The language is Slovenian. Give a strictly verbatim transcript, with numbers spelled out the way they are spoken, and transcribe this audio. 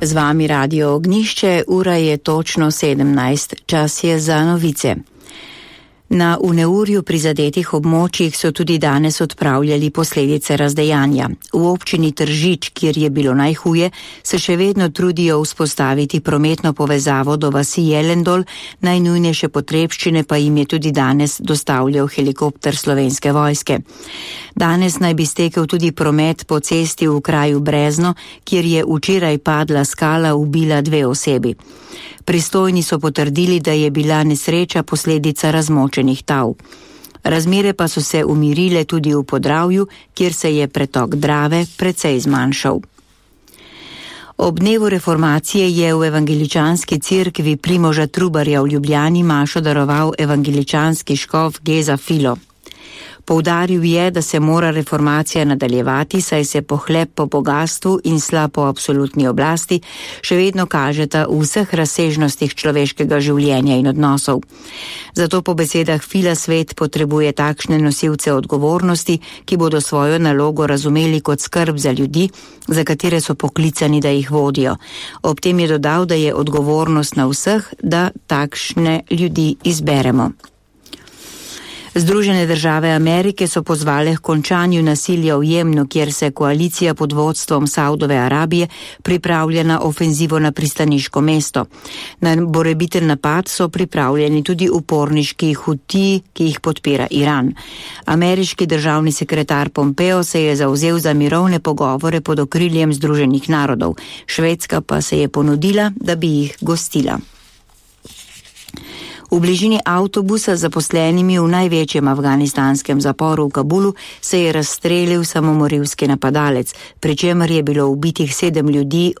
Z vami Radio Ognišče, ura je točno sedemnajst, čas je za novice. Na v neurju prizadetih območjih so tudi danes odpravljali posledice razdejanja. V občini Tržič, kjer je bilo najhuje, se še vedno trudijo vzpostaviti prometno povezavo do vasi Jelendol, najnujnejše potrebščine pa jim je tudi danes dostavljal helikopter Slovenske vojske. Danes naj bi stekel tudi promet po cesti v kraju Brezno, kjer je včeraj padla skala, ubila dve osebi. Pristojni so potrdili, da je bila nesreča posledica razmočenih tav. Razmere pa so se umirile tudi v Podravju, kjer se je pretok Drave precej zmanjšal. Ob dnevu reformacije je v evangeličanski cerkvi Primoža Trubarja v Ljubljani mašo daroval evangeličanski škof Geza Filo. Poudaril je, da se mora reformacija nadaljevati, saj se pohlep po bogastvu in slab po absolutni oblasti še vedno kažeta v vseh razsežnostih človeškega življenja in odnosov. Zato po besedah Fila svet potrebuje takšne nosilce odgovornosti, ki bodo svojo nalogo razumeli kot skrb za ljudi, za katere so poklicani, da jih vodijo. Ob tem je dodal, da je odgovornost na vseh, da takšne ljudi izberemo. Združene države Amerike so pozvale k končanju nasilja v Jemnu, kjer se koalicija pod vodstvom Saudove Arabije pripravlja na ofenzivo na pristaniško mesto. Na morebiten napad so pripravljeni tudi uporniški Hutiji, ki jih podpira Iran. Ameriški državni sekretar Pompeo se je zavzel za mirovne pogovore pod okriljem Združenih narodov. Švedska pa se je ponudila, da bi jih gostila. V bližini avtobusa z zaposlenimi v največjem afganistanskem zaporu v Kabulu se je razstrelil samomorilski napadalec, pri čemer je bilo ubitih sedem ljudi,